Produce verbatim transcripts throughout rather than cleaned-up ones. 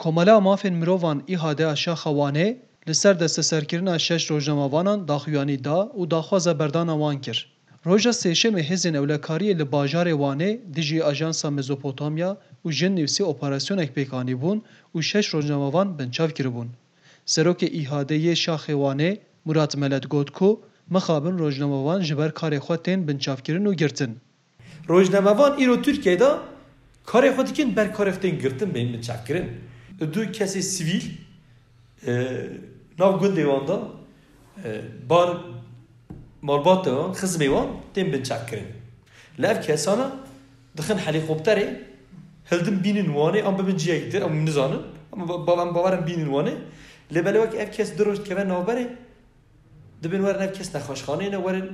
Komela Mafên Mirovan, İHA'de a Şaxa Wanê, li ser desteserkirina şeş rojnamevanan daxuyanî da û daxwaza berdana wan kir. Roja Sêşemê hêzên ewlekariyê li bajarê Wanê dijî Ajansa Mezopotamya û Jin Nivîsê operasyonek pêk anîbûn û şeş rojnamevan binçav kiribûn. Serokê İHA'de yê Şaxê Wanê, Murat Melet, got ku mixabin rojnamevan ji ber karê xwe tên binçavkirin û girtin. Rojnamevan îro Tirkiyeyê de karê xwe dikin, ber karê xwe tên girtin, bên binçavkirin. Du kesê sivîl, e, nav gundê wan de, e, bar malbatê wan, xizmê wan tên binçavkirin. Li ev kesana dixin helîkopterê, hildin bînin Wanê, an bibin ciyekî dir, em nizanin. Ama ba-, ba-, em bawerin bînin Wanê. Lê belê wek ev kes du roj dikeve navberê, dibin werin ev kes nexweşxaneyê ne, werin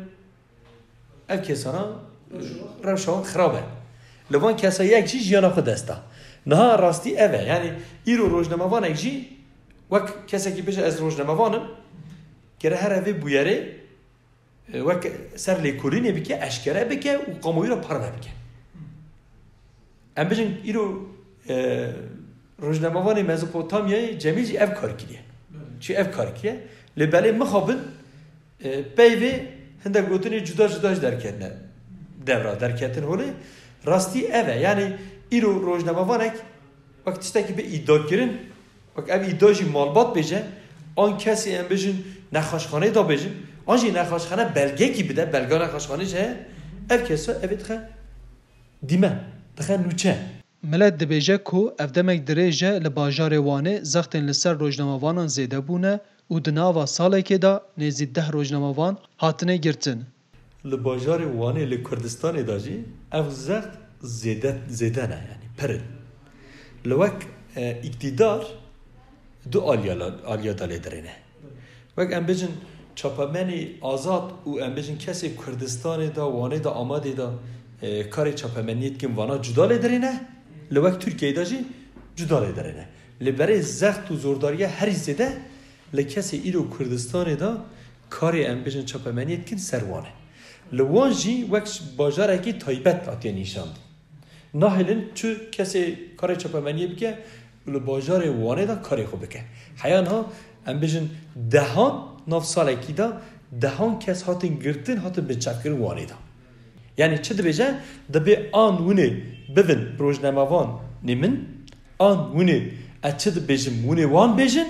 ev kesana rewşa wan xirab e. Li van kesa yek jî jiyana xwe dest da. Niha rastî ev e. Yanî îro rojnamevanek jî wek kesekî bêje ez rojnamevan im, gere here vê bûyerê, e, wek ser lêkolînê bike, eşkere bike û kamuoyî re parve bike. Em bijin îro, e, rojnamevanê Mezopotamyayê Cemîl jî ev kar kiriye. Belê. Çi ev kar kiriye? Lê belê mixabin, e, peyvê hindek gotinê cuda cuda jî derketine devra, derketin holê. Rastî ev e. Yanî îro rojnamevanek wek tiştekî bi îda kirin, wek ev îda jî malbat bêje, an kesê em bijin nexweşxaneyê da bêjin, an jî nexweşxane belgekî bide, belga nexweşxanê jî heye, ev kesa ev ê dixe dîmen, dixe nûçe. Milet dibêje ku ev demek dirêj e li bajarê Wanê zextên li ser rojnamevanan zêde bûne û di nava salekê de nêzî deh rojnamevan hatine girtin. Li bajarê Wanê li Kurdistanê de jî ev zext zêde, zêde ne, yanî pir in. Li wek, e, îktîdar du aliya, aliya de lê dirêne. Wek em bijin çapemenî azad û em bijin kesê Kurdistanê de, Wanê de, Amedê de, e, karê çapemeniyê dikin, vana cuda lê dirêne, li wek Tirkiyeyê de jî cuda lê dirêne. Lê berê zext û zordariya herî zêde li kesê îro Kurdistanê de karê em bijin çapemeniyê dikin ser wan e. Li wan jî wek bajarekî taybet hatiye nîşandin. Nahêlin çi kesê karê çapemeniyê bike û li bajarê Wanê de karê xwe bike. Heya niha em bijin dehan nav salekî de dehan kes hatin girtin, hatin binçavkirin Wanê de. Yanî çi dibêje? Dibê an hûnê bibin rojnamevanê min, an hûnê ez çi dibêjim, hûnê wan bêjin,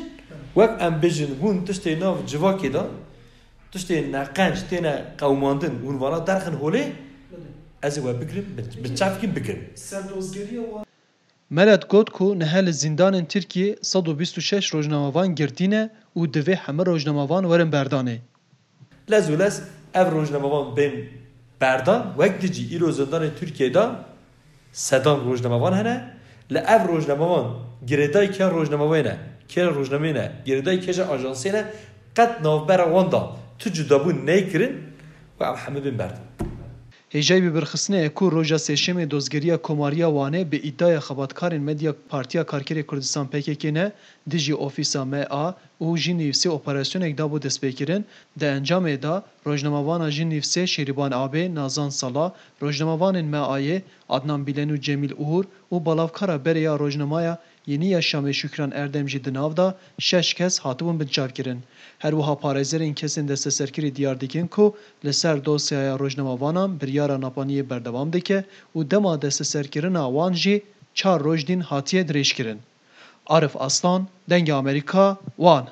wek em bêjin hûn tiştê nav civakê de, tiştê neqenc têne qewimandin, hûn vana derxin holê, ez ê we bigirim, bi, bi çavkî bigirim. Serdozgeriya wan. Melet got ku niha li zîndanên Tirkiyê sed û bîst û şeş rojnamevan girtî ne û divê hemî rojnamevan werin berdanê. Lez û lez ev rojnamevan bên berdan, wek di cî îro zindanên Tirkiyê de sedan rojnamevan hene. Li ev rojnamevan girêdayî kê rojnameyê ne, kê rojnameyê ne, girêdayî kê ji ajansê ne, qet navbera wan de tu cudabûn neyê kirin û ev hemî bên berdan. Hêjayî bibirxistinê ye ku roja Sêşemê Dozgeriya Komariya Wanê bi îdaya xebatkarên Medya Partiya Karkerê Kurdistan P K K ne, dijî ofîsa M A û Jin Nivîsê operasyonek dabû destpêkirin, di encamê de rojnamevana Jin Nivîsê Şêrîban Abê, Nazan Sala, rojnamevanên M A'yê Adnan Bilen û Cemîl Uğur û balavkara berê ya rojnameya Yeni Yaşamê Şükran Erdem jî di nav de şeş kes hatibûn binçavkirin. Her wiha parêzerên kesên desteserkirî diyar dikin ku li ser dosyaya rojnamevanan biryara napaniyê berdewam dike û dema desteserkirina wan jî çar roj din hatiye dirêjkirin. Arif Aslan, Dengê Amerîka, Wan.